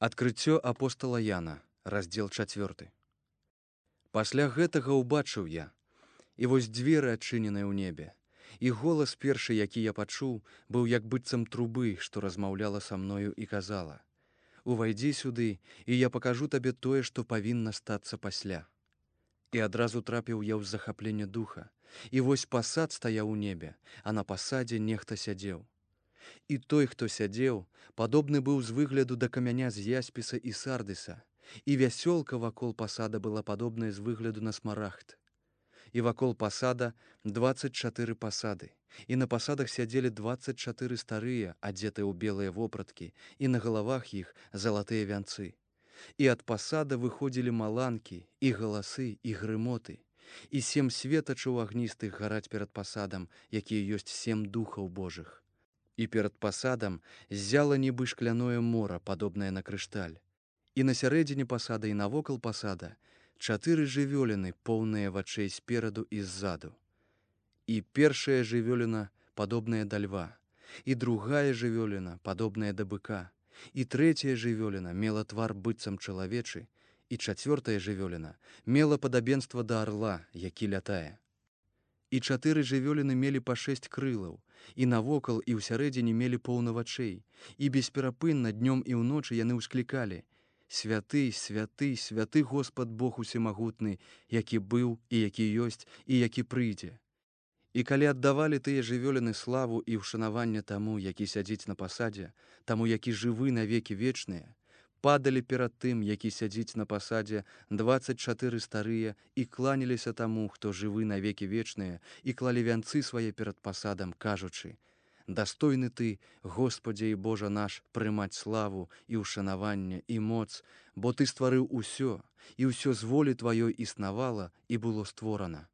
Адкрыццё апостала Яна, раздзел 4. Пасля гэтага ўбачыў я, і вось дзверы адчыненыя ў небе, і голас першы, які я пачуў, быў як быццам трубы, што размаўляла са мною і казала: «Увайдзі сюды, і я пакажу табе тое, што павінна стацца пасля». І адразу трапіў я ў захапленне духа, і вось пасад стаяў у небе, а на пасадзе нехта сядзеў. І той, хто сядзеў, падобны быў з выгляду да камяня з яспіса і сардыса, і вясёлка вакол пасада была падобная з выгляду на смарагд. І вакол пасада 24 пасады, і на пасадах сядзелі 24 старыя, адзетыя ў белыя вопраткі, і на галавах іх залатыя вянцы. І ад пасада выходзілі маланкі, і галасы, і грымоты, і 7 светачаў агністых гараць перад пасадам, якія ёсць 7 духаў Божых. І перад пасадам ззяла нібы шкляное мора, падобнае на крышталь. І на сярэдзіне пасада і навокал пасада 4 жывёліны, поўныя вачэй спераду і ззаду. І першая жывёліна, падобная да льва, і другая жывёліна, падобная да быка, і трэцяя жывёліна мела твар быццам чалавечы, і чацвёртая жывёліна мела падабенства да арла, які лятае. І 4 жывёліны мелі па 6 крылаў, і навокал і ўсярэдзіне мелі поўна вачэй, і бесперапынна днём і ўночы яны ўсклікалі: «Святы, святы, святы Господ Бог усемагутны, які быў і які ёсць і які прыйдзе». І калі аддавалі тыя жывёліны славу і ўшанаванне таму, які сядзіць на пасадзе, таму, які жывы на векі вечныя, падалі перад тым, які сядзіць на пасадзе 24 старыя і кланяліся таму, хто жывы на векі вечныя, і клалі вянцы свае перад пасадам, кажучы: «Дастойны ты, Господзе і Божа наш, прымаць славу і ўшанаванне і моц, бо ты стварыў усё, і ўсё з волі тваёй існавала і было створана».